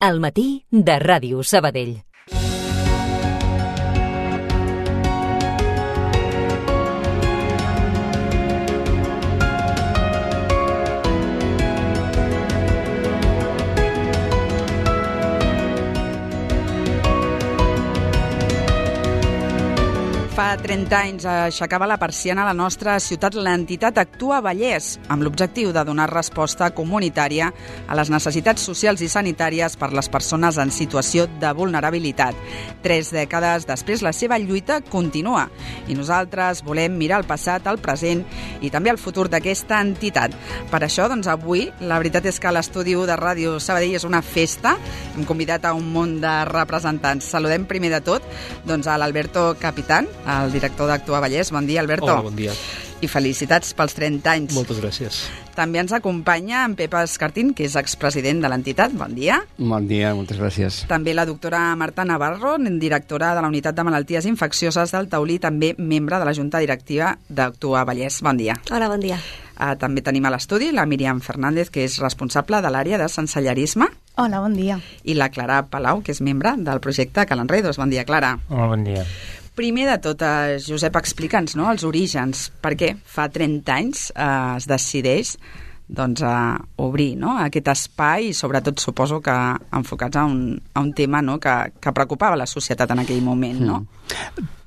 Al matí de Ràdio Sabadell. Fa 30 anys aixecava la persiana a la nostra ciutat l'entitat Actua Vallès, amb l'objectiu de donar resposta comunitària a les necessitats socials i sanitàries per les persones en situació de vulnerabilitat. 3 dècades després, la seva lluita continua i nosaltres volem mirar el passat, el present i també el futur d'aquesta entitat. Per això, doncs, avui, la veritat és que l'estudi de Ràdio Sabadell és una festa. Hem convidat a un munt de representants. Saludem primer de tot a l'Alberto Capitán, el director d'Actua Vallès. Bon dia, Alberto. Hola, bon dia. I felicitats pels 30 anys. Moltes gràcies. També ens acompanya en Pep Escartín, que és expresident de l'entitat. Bon dia. Bon dia, moltes gràcies. També la doctora Marta Navarro, directora de la Unitat de Malalties Infeccioses del Taulí, també membre de la Junta Directiva d'Actua Vallès. Bon dia. Hola, bon dia. També tenim a l'estudi la Míriam Fernández, que és responsable de l'àrea de sensellarisme. Hola, bon dia. I la Clara Palau, que és membre del projecte Calenredos. Bon dia, Clara. Hola, bon dia. Primer de tot, Josep, explica'ns els orígens. Per què fa 30 anys es decideix obrir aquest espai i sobretot suposo que enfocats a un tema que preocupava la societat en aquell moment, no?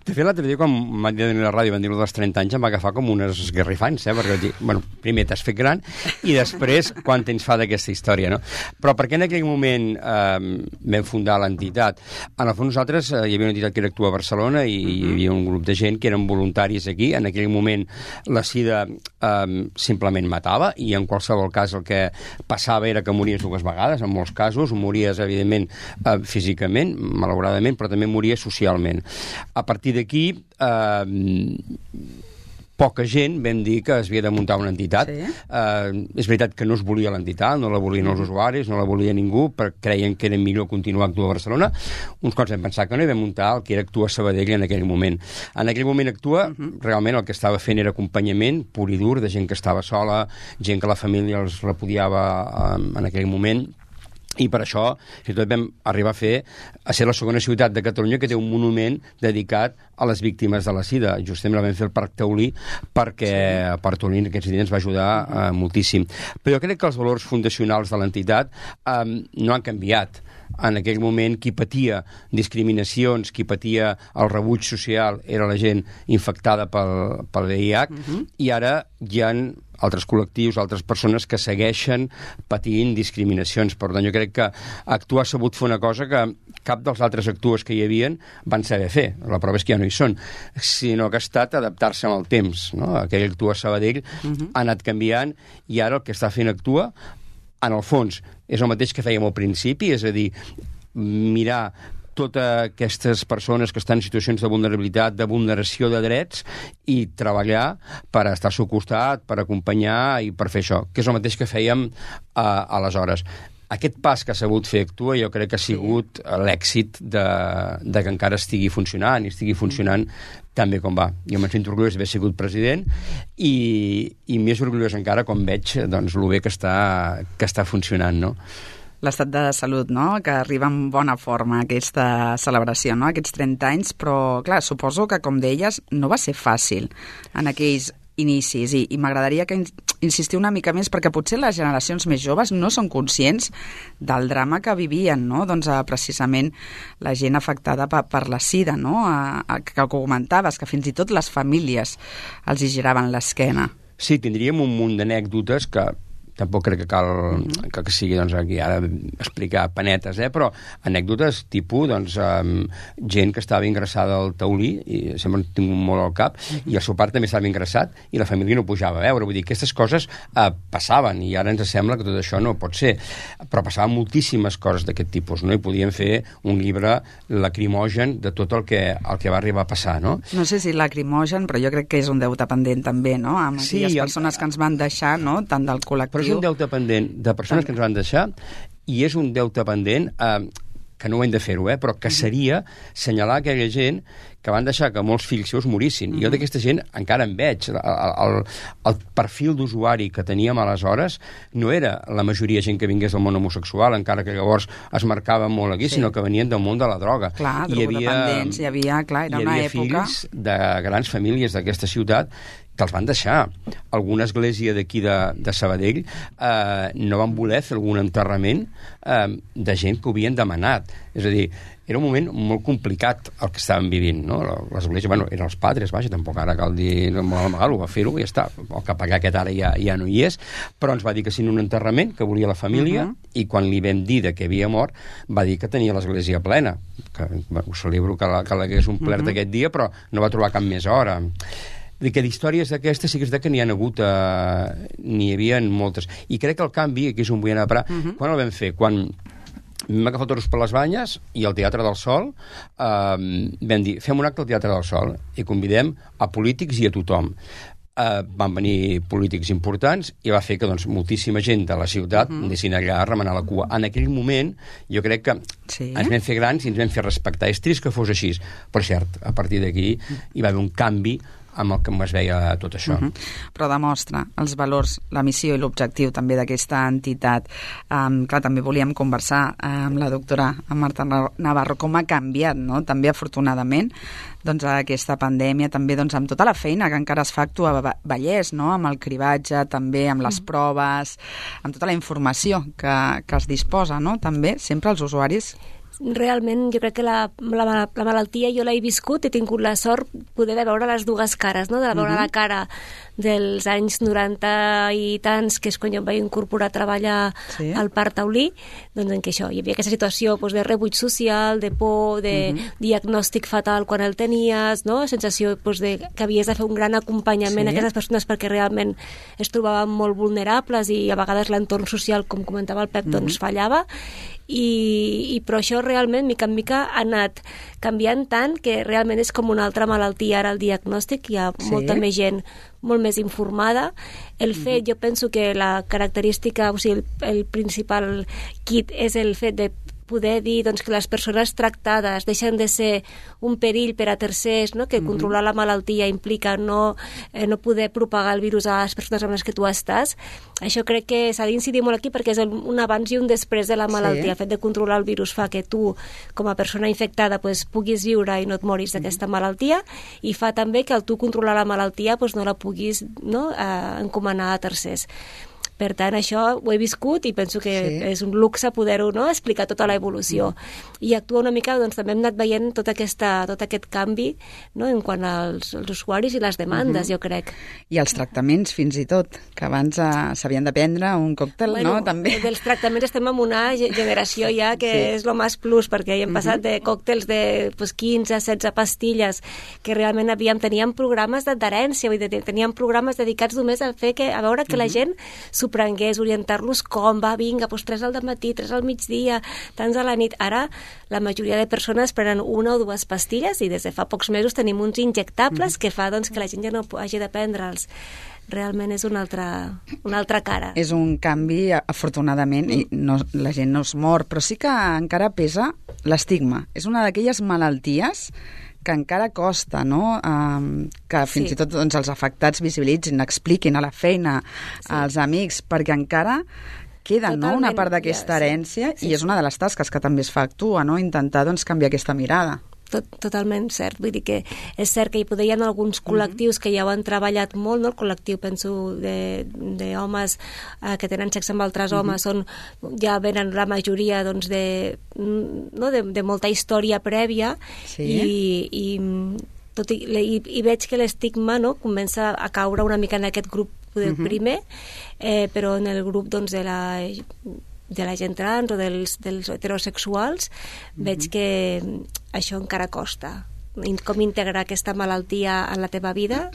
De fet, l'altre dia, quan m'han dit a la ràdio, van dir-ho dels 30 anys, em va agafar com unes esgarrifants, perquè vaig dir, primer t'has fet gran i després quant temps fa d'aquesta història, no? Però per què en aquell moment vam fundar l'entitat? En el fons nosaltres hi havia una entitat que era Actua a Barcelona i hi havia un grup de gent que eren voluntaris aquí. En aquell moment la sida simplement matava i en qualsevol cas el que passava era que mories 2 vegades, en molts casos. Mories, evidentment, físicament, malauradament, però també mories socialment. A partir d'aquí, poca gent vam dir que es havia de muntar una entitat. Sí. És veritat que no es volia l'entitat, no la volien els usuaris, no la volia ningú, perquè creien que era millor continuar a Actua a Barcelona. Uns quants vam pensar que no, i vam muntar el que era Actua Sabadell en aquell moment. En aquell moment Actua, realment el que estava fent era acompanyament pur i dur de gent que estava sola, gent que la família els repudiava en aquell moment. I per això, fins i tot vam arribar a ser la segona ciutat de Catalunya que té un monument dedicat a les víctimes de la sida. Justament la vam fer al Parc Taulí perquè el Parc Taulí en aquests dies ens va ajudar moltíssim. Però jo crec que els valors fundacionals de l'entitat no han canviat. En aquell moment qui patia discriminacions, qui patia el rebuig social era la gent infectada pel VIH i ara hi ha altres col·lectius, altres persones que segueixen patint discriminacions. Per tant, jo crec que Actua ha sabut fer una cosa que cap dels altres Actues que hi havien van saber fer. La prova és que ja no hi són, sinó que ha estat adaptar-se amb el temps, no? Aquell Actua Sabadell ha anat canviant i ara el que està fent Actua en el fons és el mateix que fèiem al principi, és a dir, mirar totes aquestes persones que estan en situacions de vulnerabilitat, de vulneració de drets i treballar per estar al seu costat, per acompanyar i per fer això, que és el mateix que fèiem aleshores. Aquest pas que ha sabut fer Actua jo crec que ha sigut l'èxit de que encara estigui funcionant i estigui funcionant tan bé com va. Jo me'n sento orgullós d'haver sigut president i més orgullós encara quan veig lo bé que està funcionant, no? L'estat de salut, que arriba en bona forma a aquesta celebració, aquests 30 anys, però, clar, suposo que, com deies, no va ser fàcil en aquells inicis i m'agradaria que insistir una mica més perquè potser les generacions més joves no són conscients del drama que vivien, precisament la gent afectada per la sida, que comentaves, que fins i tot les famílies els hi giraven l'esquena. Sí, tindríem un munt d'anècdotes que tampoc crec que cal que sigui aquí ara explicar panetes, però anècdotes tipus gent que estava ingressada al Taulí i sempre tinc molt al cap i el seu pare també estava ingressat i la família no pujava a veure, vull dir, aquestes coses passaven i ara ens sembla que tot això no pot ser, però passaven moltíssimes coses d'aquest tipus, no? I podíem fer un llibre lacrimogen de tot el que va arribar a passar, no? No sé si lacrimogen, però jo crec que és un deute pendent també, amb aquelles persones que ens van deixar, tant del col·lectiu. Però és un deute pendent de persones que ens van deixar i és un deute pendent que no ho hem de fer-ho, però que seria senyalar aquella gent que van deixar que molts fills seus morissin. I jo d'aquesta gent encara en veig. El perfil d'usuari que teníem aleshores no era la majoria gent que vingués del món homosexual, encara que llavors es marcava molt aquí, sinó que venien del món de la droga. Clar, drogodependents, era una època... fills de grans famílies d'aquesta ciutat que els van deixar. Alguna església d'aquí de Sabadell no van voler fer algun enterrament de gent que ho havien demanat. És a dir, era un moment molt complicat el que estàvem vivint, no? L'església, eren els padres, vaja, tampoc ara cal dir molt amagal, ho va fer-ho i ja està. El capellà aquest ara ja no hi és, però ens va dir que sin un enterrament, que volia la família, i quan li vam dir que havia mort, va dir que tenia l'església plena. Ho celebro que l'hagués omplert aquest dia, però no va trobar cap més hora. Que d'històries d'aquestes sí que és que n'hi ha hagut, n'hi havia moltes. I crec que el canvi, aquí és on vull anar a parar, quan el vam fer? Quan vam agafar toros per les banyes i al Teatre del Sol vam dir, fem un acte al Teatre del Sol i convidem a polítics i a tothom. Van venir polítics importants i va fer que moltíssima gent de la ciutat anessin allà a remenar la cua. En aquell moment jo crec que ens vam fer grans i ens vam fer respectar. És trist que fos així, però cert, a partir d'aquí hi va haver un canvi amb el que es veia tot això. Però demostra els valors, la missió i l'objectiu també d'aquesta entitat. Clar, també volíem conversar amb la doctora Marta Navarro com ha canviat, no? També afortunadament aquesta pandèmia, també amb tota la feina que encara es fa actuar a Vallès, no? Amb el cribatge, també amb les proves, amb tota la informació que es disposa, no? També, sempre els usuaris. Realment, jo crec que la malaltia jo l'he viscut, he tingut la sort poder de veure les dues cares, no? De veure la cara dels anys 90 i tants, que és quan jo em vaig incorporar a treballar al Parc Taulí, doncs en què hi havia aquesta situació de rebuig social, de por, de diagnòstic fatal quan el tenies, no? Sensació que havies de fer un gran acompanyament a aquestes persones perquè realment es trobaven molt vulnerables i a vegades l'entorn social, com comentava el Pep, doncs fallava. Però això realment, mica en mica, ha anat canviant tant que realment és com una altra malaltia ara el diagnòstic, hi ha molta més gent molt més informada. El fet, jo penso que la característica, o sigui, el principal kit és el fet de poder dir que les persones tractades deixen de ser un perill per a tercers, no? Que controlar la malaltia implica no poder propagar el virus a les persones amb les que tu estàs. Això crec que s'ha d'incidir molt aquí perquè és un abans i un després de la malaltia. El fet de controlar el virus fa que tu, com a persona infectada, puguis viure i no et moris d'aquesta malaltia, i fa també que al tu controlar la malaltia no la puguis encomanar a tercers. Per tant, això ho he viscut i penso que és un luxe poder-ho explicar tota l'evolució. I actuar una mica, també hem anat veient tot aquest canvi en quant als usuaris i les demandes, jo crec. I els tractaments, fins i tot, que abans s'havien de prendre un còctel, no? També. Dels tractaments estem en una generació ja que és lo més plus, perquè hem passat de còctels de 15-16 pastilles, que realment teníem programes d'adherència, teníem programes dedicats només a veure que la gent s'ho prengués, orientar-los com va, vinga, 3 al matí, 3 al migdia, tants a la nit. Ara la majoria de persones prenen 1 o 2 pastilles i des de fa pocs mesos tenim uns injectables que fa que la gent ja no hagi de prendre'ls. Realment és una altra cara. És un canvi, afortunadament, i la gent no es mor, però sí que encara pesa l'estigma. És una d'aquelles malalties que encara costa, no? Que fins i tot els afectats visibilitzin, expliquin a la feina, als amics, perquè encara queda una part d'aquesta herència i és una de les tasques que també es fa actuar, no? Intentar canviar aquesta mirada. Totalment cert, vull dir que és cert que hi ha alguns col·lectius que ja ho han treballat molt, no? El col·lectiu, penso, d'homes que tenen sexe amb altres homes, ja venen la majoria de molta història prèvia i veig que l'estigma comença a caure una mica en aquest grup primer, però en el grup de la gent trans o dels heterosexuals veig que això encara costa. Com integrar aquesta malaltia en la teva vida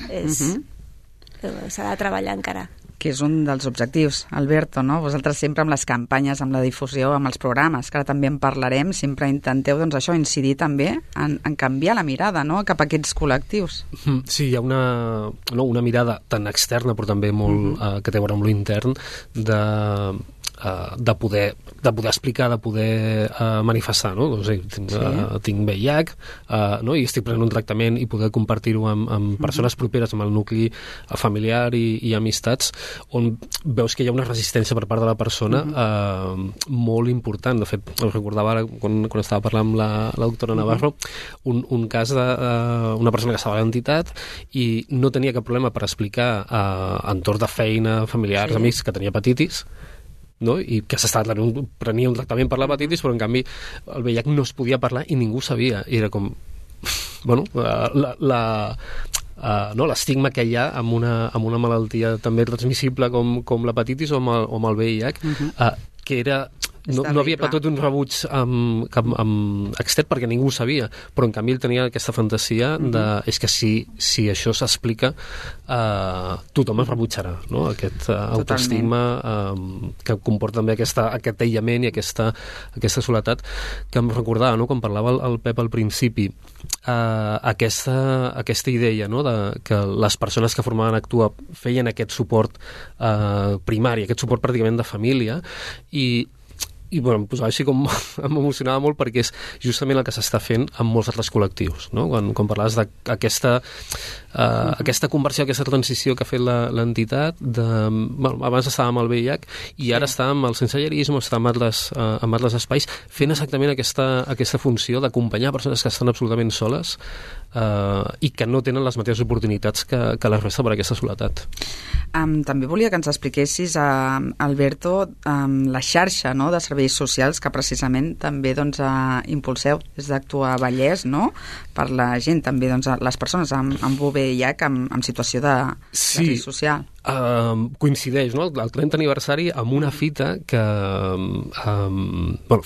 s'ha de treballar encara. Que és un dels objectius, Alberto, no? Vosaltres sempre amb les campanyes, amb la difusió, amb els programes, que ara també en parlarem, sempre intenteu incidir també en canviar la mirada, no?, cap a aquests col·lectius. Sí, hi ha una mirada tan externa però també molt que té a veure amb l'intern de poder explicar, de poder manifestar, no? Doncs, tinc VIH, no? I estic prenent un tractament i poder compartir-ho amb persones properes, amb el nucli familiar i amistats, on veus que hi ha una resistència per part de la persona molt important. De fet, recordava ara, quan estava parlant amb la doctora Navarro, un cas d'una persona que estava a l'entitat i no tenia cap problema per explicar a entorn de feina, familiars, amics, que tenia hepatitis, no? I que prenia un tractament per l'hepatitis, però en canvi el VIH no es podia parlar i ningú sabia. I era com... bueno, l'estigma que hi ha amb una malaltia també transmissible com l'hepatitis o amb el VIH, que era... No havia patit un rebuig extern perquè ningú ho sabia, però en canvi ell tenia aquesta fantasia és que si això s'explica tothom es rebutjarà, no? Aquest autoestigma que comporta també aquest aïllament i aquesta soledat, que em recordava, no? Quan parlava el Pep al principi, aquesta idea, no? Que les persones que formaven Actua feien aquest suport primari, aquest suport pràcticament de família, i bueno, em posava així com m'emocionava molt perquè és justament el que s'està fent amb molts altres col·lectius, no? Quan parlaves d'aquesta conversió, aquesta transició que ha fet l'entitat, abans estava amb el VIH i ara està amb el sensellarisme, està amb altres espais, fent exactament aquesta funció d'acompanyar persones que estan absolutament soles i que no tenen les mateixes oportunitats que la resta per aquesta soledat. També volia que ens expliquessis, Alberto, la xarxa, no?, de serveis socials que precisament també impulseu des d'Actua Vallès, no?, per la gent, també les persones amb VIH en situació de risc social. Coincideix, no?, el 30 aniversari amb una fita que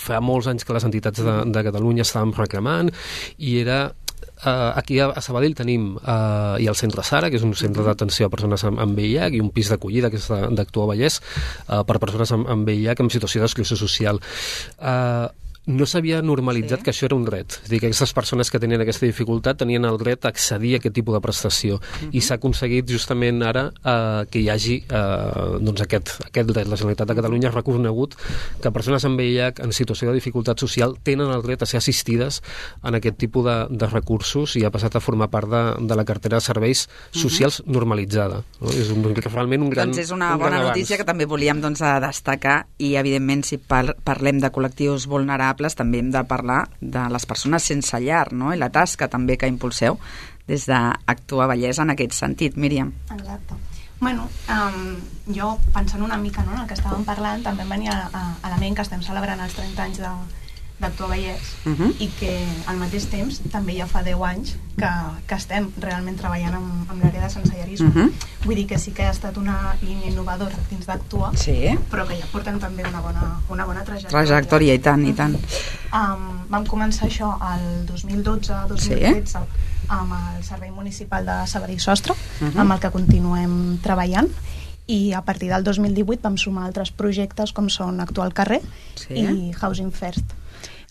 fa molts anys que les entitats de Catalunya estàvem reclamant, i era... Aquí a Sabadell tenim i el Centre Sara, que és un centre d'atenció a persones amb VIH, i un pis d'acollida, que és d'Actua Vallès, per persones amb VIH en situació d'exclusió social. No s'havia normalitzat que això era un dret. És a dir, que aquestes persones que tenien aquesta dificultat tenien el dret a accedir a aquest tipus de prestació. I s'ha aconseguit justament ara que hi hagi aquest dret. La Generalitat de Catalunya ha reconegut que persones amb VIH en situació de dificultat social tenen el dret a ser assistides en aquest tipus de recursos, i ha passat a formar part de la cartera de serveis socials normalitzada. No? És realment un gran és una bona notícia que també volíem destacar, i evidentment si parlem de col·lectius vulnerables també hem de parlar de les persones sense llar, no?, i la tasca també que impulseu des d'Actua Vallès en aquest sentit. Míriam. Exacte. Bueno, jo pensant una mica, no?, en el que estàvem parlant, també em venia a la ment que estem celebrant els 30 anys d'Actua Vallès, i que al mateix temps també ja fa 10 anys que estem realment treballant amb l'àrea de sensellarisme. Vull dir que sí que ha estat una línia innovadora dins d'Actua, però que ja porten també una bona trajectòria. I tant. Vam començar això el 2012-2013 amb el Servei Municipal de Sabadell Sostre, amb el que continuem treballant, i a partir del 2018 vam sumar altres projectes com són Actua al carrer i Housing First.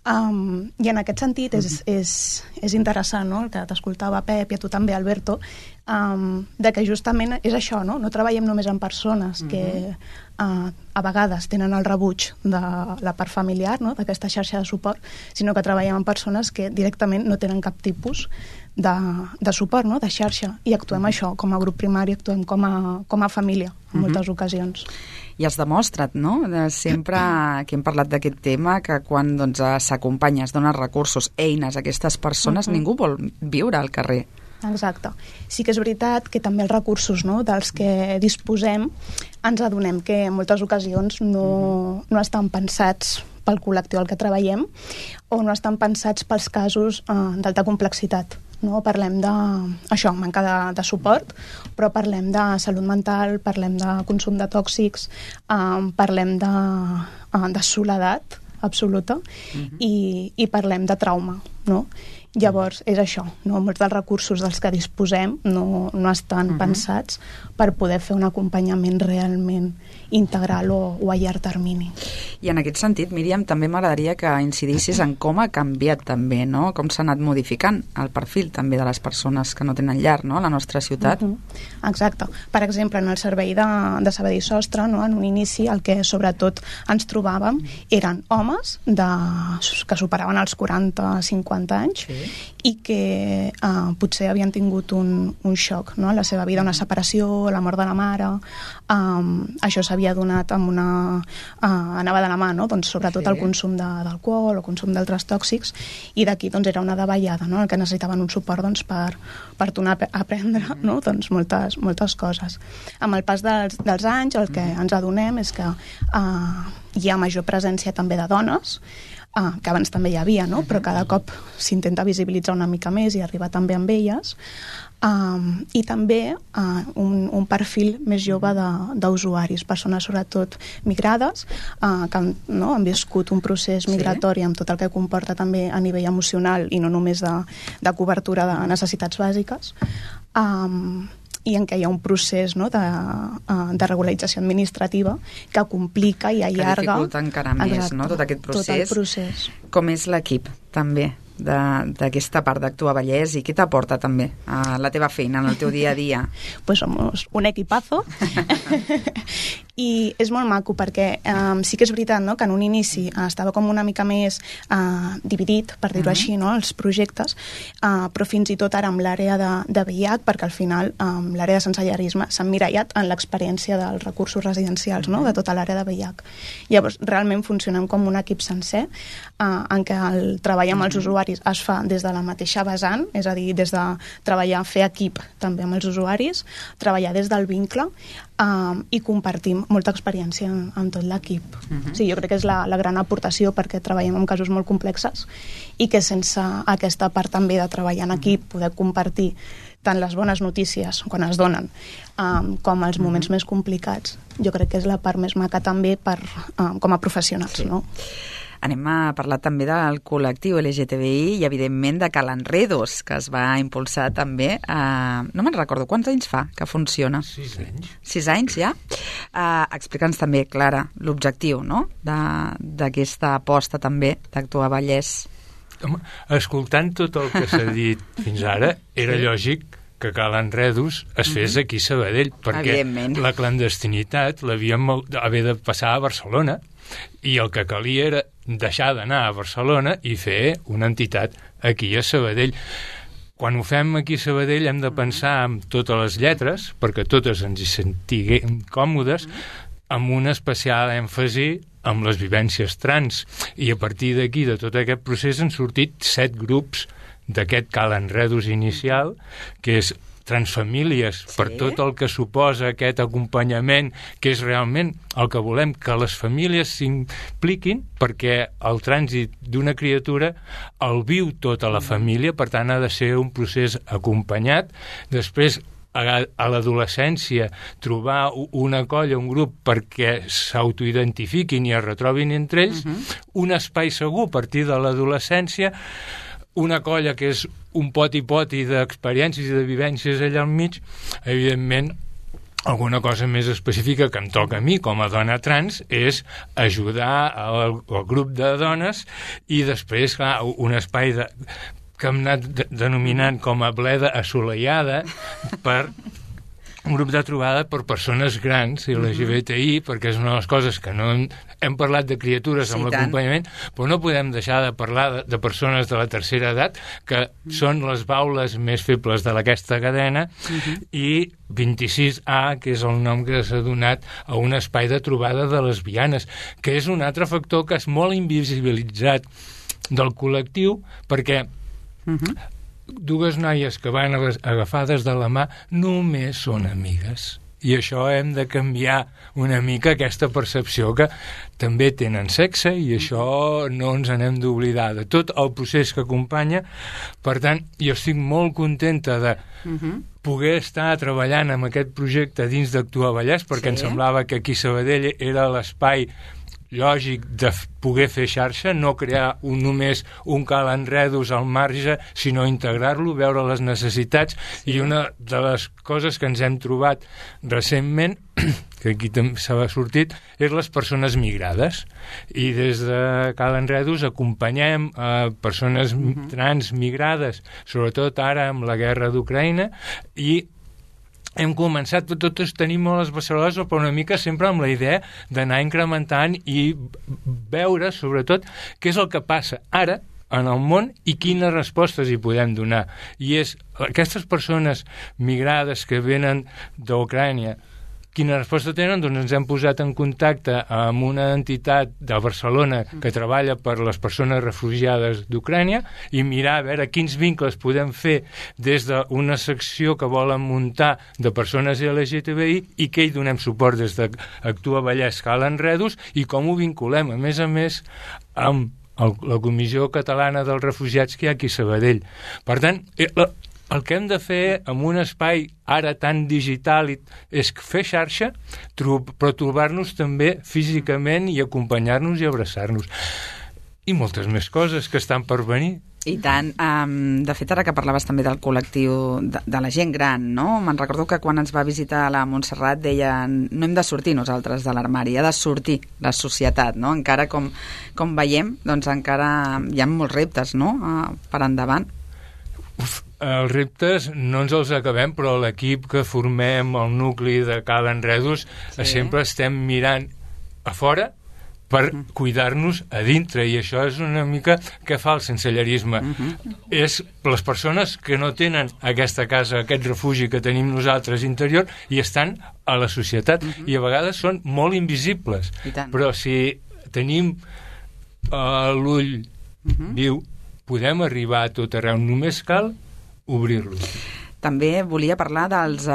I en aquest sentit és interessant, no?, el que t'escoltava Pep i a tu també, Alberto, de que justament és això, no treballem només amb persones que a vegades tenen el rebuig de la part familiar, no?, d'aquesta xarxa de suport, sinó que treballem amb persones que directament no tenen cap tipus de suport, no?, de xarxa, i actuem això com a grup primari, actuem com a família en moltes ocasions. I has demostrat, no?, sempre que hem parlat d'aquest tema, que quan s'acompanya, es donen recursos, eines a aquestes persones, ningú vol viure al carrer. Exacte. Sí que és veritat que també els recursos, no?, dels que disposem ens adonem que en moltes ocasions no estan pensats pel col·lectiu al que treballem, o no estan pensats pels casos d'alta complexitat. No? Parlem d'això, manca de suport, però parlem de salut mental, parlem de consum de tòxics, parlem de soledat absoluta, i parlem de trauma, no? Llavors, és això, no? Molts dels recursos dels que disposem no estan pensats per poder fer un acompanyament realment integral o a llarg termini. I en aquest sentit, Míriam, també m'agradaria que incidissis en com ha canviat també, no? Com s'ha anat modificant el perfil també de les persones que no tenen llar, no?, a la nostra ciutat. Exacte. Per exemple, en el servei de Sabadell Sostre, no?, en un inici el que sobretot ens trobàvem eren homes que superaven els 40-50 anys i que potser havien tingut un xoc, no?, a la seva vida, una separació, la mort de la mare. Això s'havia donat amb anava de la mà, no?, doncs sobretot el consum d'alcohol o consum d'altres tòxics, i d'aquí doncs era una davallada, no?, el que necessitaven un suport doncs per tornar a aprendre, no?, doncs moltes coses. Amb el pas dels anys el que ens adonem és que hi ha major presència també de dones, que abans també hi havia, no?, però cada cop s'intenta visibilitzar una mica més i arribar també amb elles, i també un perfil més jove d'usuaris, persones sobretot migrades, que han viscut un procés migratori amb tot el que comporta també a nivell emocional i no només de cobertura de necessitats bàsiques, i en què hi ha un procés, no?, de regularització administrativa que complica i allarga... Que dificulta encara més, no?, tot aquest procés. Tot el procés. Com és l'equip, també, d'aquesta part d'Actua Vallès, i què t'aporta també a la teva feina, en el teu dia a dia? Pues somos un equipazo i és molt maco perquè sí que és veritat, no?, que en un inici estava com una mica més dividit, per dir-ho així, no?, els projectes, però fins i tot ara amb l'àrea de VIH, perquè al final l'àrea de sensellarisme s'ha emmirallat en l'experiència dels recursos residencials, no?, de tota l'àrea de VIH. Llavors, realment funcionem com un equip sencer, en què el treball amb els usuaris es fa des de la mateixa vessant, és a dir, des de treballar, fer equip també amb els usuaris, treballar des del vincle, i compartim molta experiència amb tot l'equip. Sí, jo crec que és la gran aportació, perquè treballem en casos molt complexes i que sense aquesta part també de treballar en equip, poder compartir tant les bones notícies quan es donen com els moments més complicats, jo crec que és la part més maca també com a professionals, no? Anem a parlar també del col·lectiu LGTBI i, evidentment, de Calenredos, que es va impulsar també. No me'n recordo, quants anys fa que funciona? 6 anys. 6 anys, ja? Explica'ns també, Clara, l'objectiu, no?, d'aquesta aposta també d'Actua Vallès. Escoltant tot el que s'ha dit fins ara, era lògic que Calenredos es fes aquí a Sabadell, perquè la clandestinitat l'havíem haver de passar a Barcelona, i el que calia era deixar d'anar a Barcelona i fer una entitat aquí a Sabadell. Quan ho fem aquí a Sabadell hem de pensar en totes les lletres, perquè totes ens hi sentiguem còmodes, amb un especial èmfasi amb les vivències trans. I a partir d'aquí, de tot aquest procés, han sortit 7 grups d'aquest Calenredos inicial, que és transfamílies, per tot el que suposa aquest acompanyament, que és realment el que volem, que les famílies s'impliquin, perquè el trànsit d'una criatura el viu tota la família, per tant ha de ser un procés acompanyat. Després, a l'adolescència, trobar una colla, un grup, perquè s'autoidentifiquin i es retrobin entre ells, un espai segur a partir de l'adolescència, una colla que és un poti-poti d'experiències i de vivències allà al mig, evidentment, alguna cosa més específica que em toca a mi com a dona trans és ajudar al grup de dones i després, clar, un espai que hem anat denominant com a bleda assolellada per un grup de trobada per persones grans i LGBTI, perquè és una de les coses que no hem parlat de criatures amb l'acompanyament, però no podem deixar de parlar de persones de la tercera edat, que són les baules més febles d'aquesta cadena, i 26A, que és el nom que s'ha donat a un espai de trobada de lesbianes, que és un altre factor que és molt invisibilitzat del col·lectiu, perquè dues noies que van agafades de la mà només són amigues. I això hem de canviar una mica aquesta percepció que també tenen sexe i això no ens n'hem d'oblidar de tot el procés que acompanya. Per tant, jo estic molt contenta de poder estar treballant amb aquest projecte dins d'Actua Vallès, perquè em semblava que aquí Sabadell era l'espai lògic de poder fer xarxa, no crear només un cal enredos al marge, sinó integrar-lo, veure les necessitats. I una de les coses que ens hem trobat recentment, que aquí també s'ha sortit, és les persones migrades. I des de Cal Enredos acompanyem a persones trans migrades, sobretot ara amb la guerra d'Ucraïna, i hem començat, totes tenim molt les beceroles, però una mica sempre amb la idea d'anar incrementant i veure, sobretot, què és el que passa ara en el món i quines respostes hi podem donar. I és aquestes persones migrades que venen d'Ucrània, quina resposta tenen? Doncs ens hem posat en contacte amb una entitat de Barcelona que treballa per les persones refugiades d'Ucrània i mirar a veure quins vincles podem fer des d'una secció que volen muntar de persones LGTBI i que hi donem suport des d'Actua Vallès, Cal Enredos, i com ho vinculem, a més, amb la Comissió Catalana dels Refugiats que hi ha aquí a Sabadell. Per tant, el que hem de fer en un espai ara tan digital és fer xarxa, però trobar-nos també físicament i acompanyar-nos i abraçar-nos. I moltes més coses que estan per venir. I tant. De fet, ara que parlaves també del col·lectiu de la gent gran, no? Me'n recordo que quan ens va visitar la Montserrat deien no hem de sortir nosaltres de l'armari, ha de sortir la societat, no? Encara com veiem, doncs encara hi ha molts reptes, no? Per endavant. Els reptes no ens els acabem, però l'equip que formem, el nucli de Cal Enredos, sempre estem mirant a fora per cuidar-nos a dintre, i això és una mica què fa el sensellerisme. És les persones que no tenen aquesta casa, aquest refugi que tenim nosaltres interior, i estan a la societat, i a vegades són molt invisibles. Però si tenim l'ull viu, podem arribar a tot arreu, només cal obrir-lo. També volia parlar dels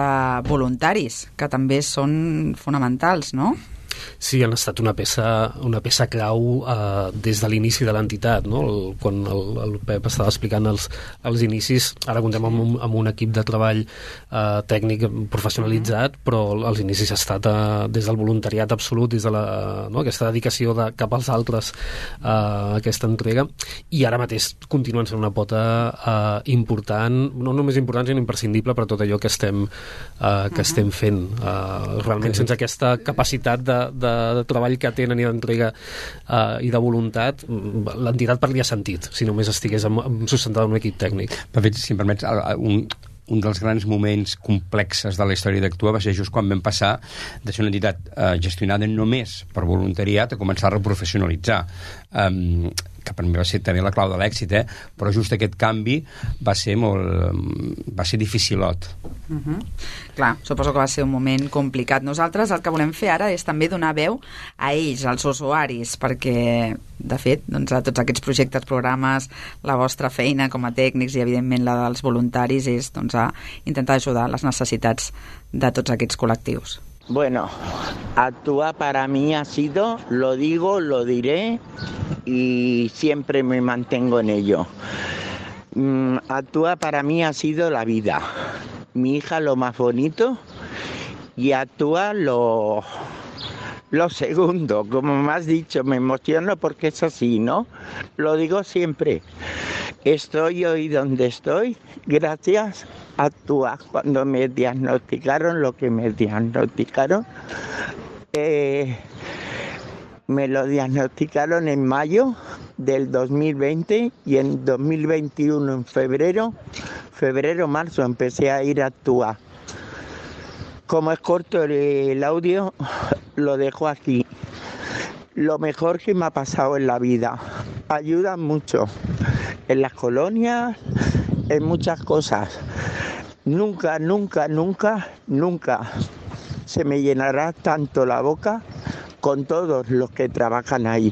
voluntaris, que també són fonamentals, no? Sí, han estat una peça clau des de l'inici de l'entitat, no? Quan el Pep estava explicant els inicis, ara comptem amb un equip de treball tècnic professionalitzat, però els inicis ha estat des del voluntariat absolut, des de aquesta dedicació cap als altres, aquesta entrega, i ara mateix continuen sent una pota important, no només important, sinó imprescindible per tot allò que estem fent. Realment, sense aquesta capacitat de treball que tenen i d'entrega i de voluntat, l'entitat perdria sentit si només estigués sustentada en un equip tècnic. De fet, si em permets, un dels grans moments complexes de la història d'Actua va ser just quan vam passar de ser una entitat gestionada només per voluntariat a començar a reprofessionalitzar, que per mi va ser també la clau de l'èxit, però just aquest canvi va ser dificilot. Clar, suposo que va ser un moment complicat. Nosaltres el que volem fer ara és també donar veu a ells, als usuaris, perquè, de fet, doncs, a tots aquests projectes, programes, la vostra feina com a tècnics i, evidentment, la dels voluntaris és a intentar ajudar les necessitats de tots aquests col·lectius. Bueno, Actua para mí ha sido, lo digo, lo diré y siempre me mantengo en ello. Actua para mí ha sido la vida. Mi hija lo más bonito y Actua lo segundo. Como me has dicho, me emociono porque es así, ¿no? Lo digo siempre. Estoy hoy donde estoy gracias a Actua. Cuando me diagnosticaron lo que me diagnosticaron, me lo diagnosticaron en mayo del 2020 y en 2021, en febrero, marzo, empecé a ir a Actua. Como es corto el audio, lo dejo aquí. Lo mejor que me ha pasado en la vida. Ayudan mucho en las colonias, en muchas cosas. Nunca se me llenará tanto la boca con todos los que trabajan ahí,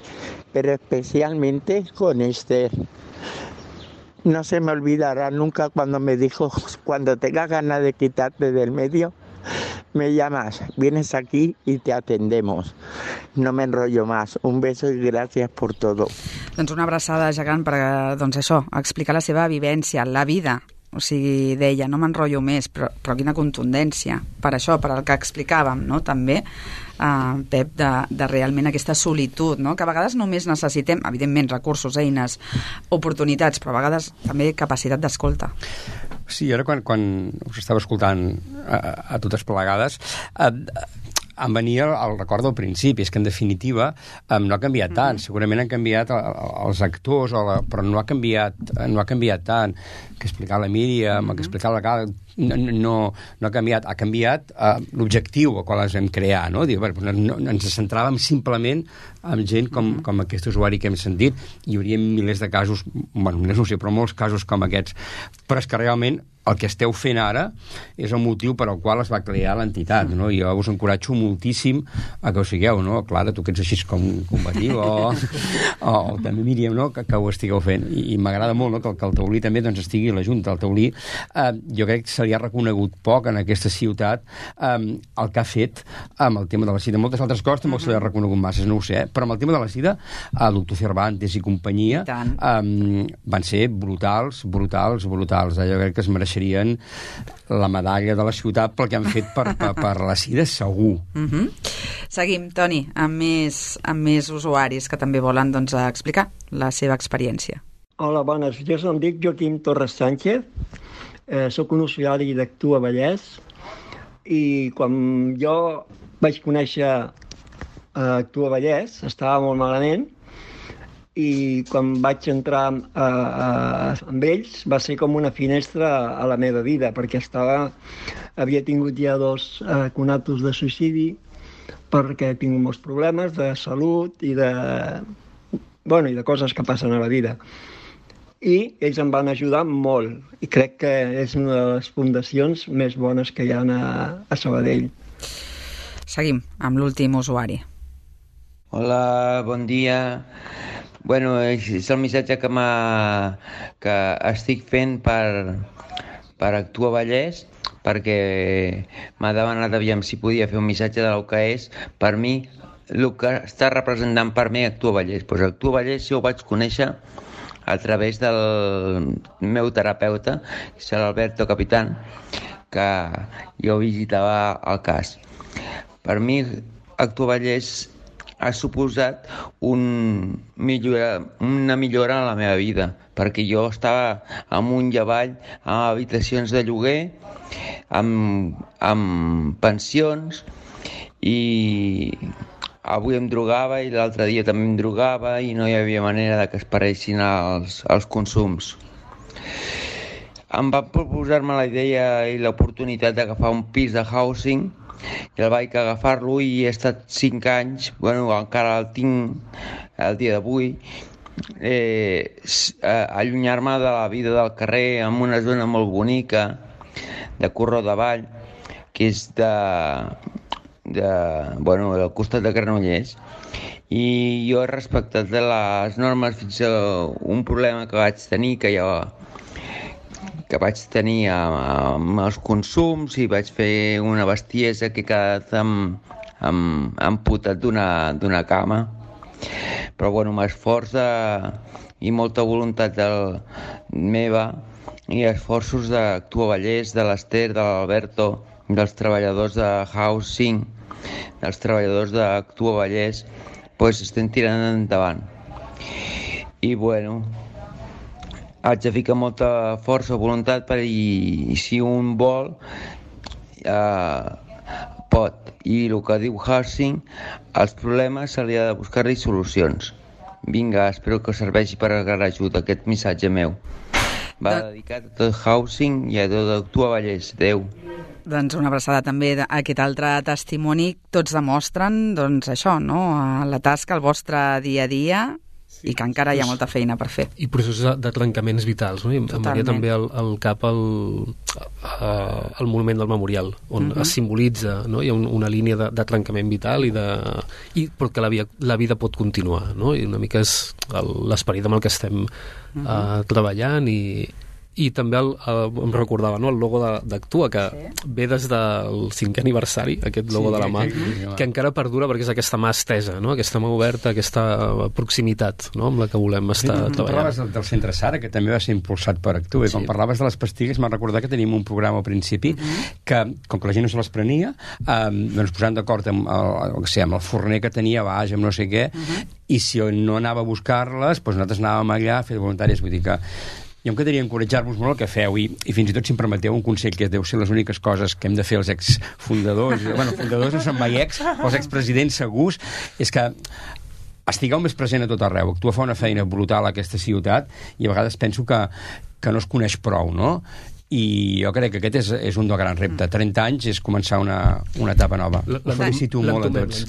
pero especialmente con Esther. No se me olvidará nunca cuando me dijo, cuando tengas ganas de quitarte del medio, me llamas, vienes aquí y te atendemos. No me enrollo más. Un beso i gràcies per tot. Doncs una abraçada gegant per, explicar la seva vivència, la vida o sigui, deia, no m'enrotllo més, però quina contundència. Per això, per el que explicàvem, no?, també, Pep, de realment aquesta solitud, no?, que a vegades només necessitem, evidentment, recursos, eines, oportunitats, però a vegades també capacitat d'escolta. Sí, ara quan us estava escoltant a totes plegades, em venia el record del principi, és que en definitiva no ha canviat tant, segurament han canviat els actors, però no ha canviat tant, que explicar la Míriam, que explicar la Gala, no ha canviat l'objectiu al qual ens vam crear, no? Ens centràvem simplement en gent com aquest usuari que hem sentit, hi hauria milers de casos, bueno, no sé, però molts casos com aquests, però és que realment el que esteu fent ara és el motiu per al qual es va crear l'entitat, no? I jo us encoratjo moltíssim a que ho sigueu, no? Clara, tu que ets així com combatiu, o també Míriam, no?, que ho estigueu fent. I m'agrada molt, no?, que el Taulí també doncs, estigui a la Junta. El Taulí, jo crec que se li ha reconegut poc en aquesta ciutat el que ha fet amb el tema de la sida. Moltes altres coses tampoc se li ha reconegut massa, no ho sé, però amb el tema de la sida, el doctor Cervantes i companyia van ser brutals. Jo crec que es mereixen la medalla de la ciutat pel que han fet per la sida, segur. Seguim, Toni, amb més usuaris que també volen doncs, explicar la seva experiència. Hola, bones. Jo em dic Joaquim Torres Sánchez, soc un usuari d'Actua Vallès, i quan jo vaig conèixer Actua Vallès estava molt malament, i quan vaig entrar amb ells va ser com una finestra a la meva vida, perquè havia tingut ja 2 conatos de suïcidi, perquè tinc molts problemes de salut i de coses que passen a la vida. I ells em van ajudar molt, i crec que és una de les fundacions més bones que hi ha a Sabadell. Seguim amb l'últim usuari. Hola, bon dia. Bueno, és el missatge que estic fent per Actua Vallès, perquè m'ha demanat aviam si podia fer un missatge del que és per mi el que està representant per mi Actua Vallès. Pues Actua Vallès jo ho vaig conèixer a través del meu terapeuta, que és l'Alberto Capitán, que jo visitava el cas. Per mi Actua Vallès ha suposat una millora en la meva vida, perquè jo estava amunt i avall amb habitacions de lloguer, amb pensions, i avui em drogava i l'altre dia també em drogava i no hi havia manera de que es paressin els consums. Em van proposar-me la idea i l'oportunitat d'agafar un pis de housing, i el vaig agafar-lo i he estat 5 anys, bueno, encara el tinc el dia d'avui, allunyar-me de la vida del carrer en una zona molt bonica de Corró de Vall, que és del costat de Granollers, i jo he respectat les normes fins a un problema que vaig tenir, que vaig tenir amb els consums, i vaig fer una bestiesa que he quedat amputat d'una cama. Però bueno, m'esforç i molta voluntat meva i esforços d'Actua Vallès, de l'Ester, de l'Alberto, dels treballadors de Housing, dels treballadors d'Actua Vallès, doncs estem tirant endavant. I bueno, haig de ficar molta força o voluntat i si un vol pot. I el que diu Housing, els problemes se li ha de buscar-hi solucions. Vinga, espero que serveixi per agarrar ajuda aquest missatge meu. Va dedicat a tot Housing i a tot Actua Vallès. Adéu. Doncs una abraçada també a aquest altre testimoni. Tots demostren, doncs, això, no?, la tasca, el vostre dia a dia, i que encara hi ha molta feina per fer. I processos de trencaments vitals, no? I em venia també al cap el monument del memorial, on es simbolitza, no? Hi ha una línia de trencament vital però que la vida pot continuar, no? I una mica és l'esperit amb el que estem treballant, i i també em recordava, no?, el logo d'Actua, que ve des del 5è aniversari, aquest logo de la mà, que encara perdura perquè és aquesta mà estesa, no?, aquesta mà oberta, aquesta proximitat, no?, amb la que volem estar treballant. Parlaves del Centre Sara, que també va ser impulsat per Actua, i quan parlaves de les pastilles m'ha recordat que tenim un programa al principi que, com que la gent no se les prenia, doncs posant d'acord amb el forner que tenia baix, amb no sé què, i si no anava a buscar-les, doncs nosaltres anàvem allà a fer voluntaris. Vull dir que jo em quedaria encoratjar-vos molt el que feu, i fins i tot, si em permeteu, un consell que deu ser les úniques coses que hem de fer els exfundadors, bueno, fundadors no són mai els expresidents segurs, és que estigueu més present a tot arreu. Actua fa una feina brutal a aquesta ciutat i a vegades penso que no es coneix prou, no? I jo crec que aquest és un del gran repte. 30 anys és començar una etapa nova. Us felicito molt a tots.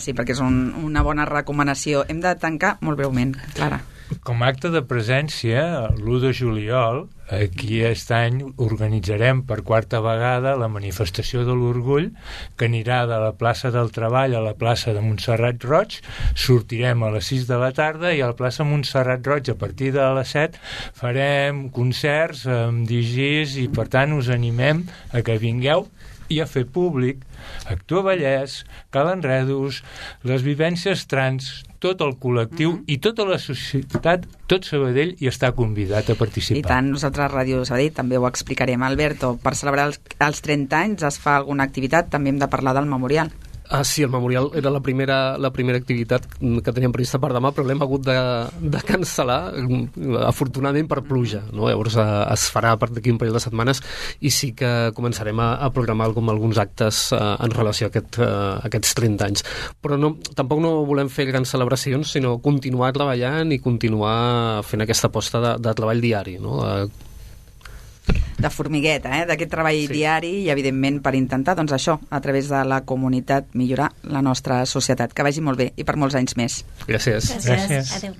Sí, perquè és una bona recomanació. Hem de tancar molt breument, Clara. Com a acte de presència, l'1 de juliol, aquí aquest any organitzarem per 4a vegada la manifestació de l'orgull, que anirà de la plaça del Treball a la plaça de Montserrat Roig. Sortirem a les 6 de la tarda i a la plaça Montserrat Roig, a partir de les 7, farem concerts amb DJs i, per tant, us animem a que vingueu i a fer públic Actua Vallès, Cal Enredos, les vivències trans, tot el col·lectiu i tota la societat, tot Sabadell hi està convidat a participar. I tant, nosaltres a Ràdio Sabadell també ho explicarem. Alberto, per celebrar els 30 anys es fa alguna activitat? També hem de parlar del memorial. Sí, el memorial era la primera activitat que teníem prevista per demà, però l'hem hagut de cancel·lar, afortunadament per pluja, no? Llavors es farà d'aquí un parell de setmanes i sí que començarem a programar alguns actes en relació a aquests 30 anys. Però tampoc no volem fer grans celebracions, sinó continuar treballant i continuar fent aquesta aposta de treball diari, no? De formigueta, d'aquest treball diari i, evidentment, per intentar, doncs això, a través de la comunitat, millorar la nostra societat. Que vagi molt bé i per molts anys més. Gràcies. Adéu.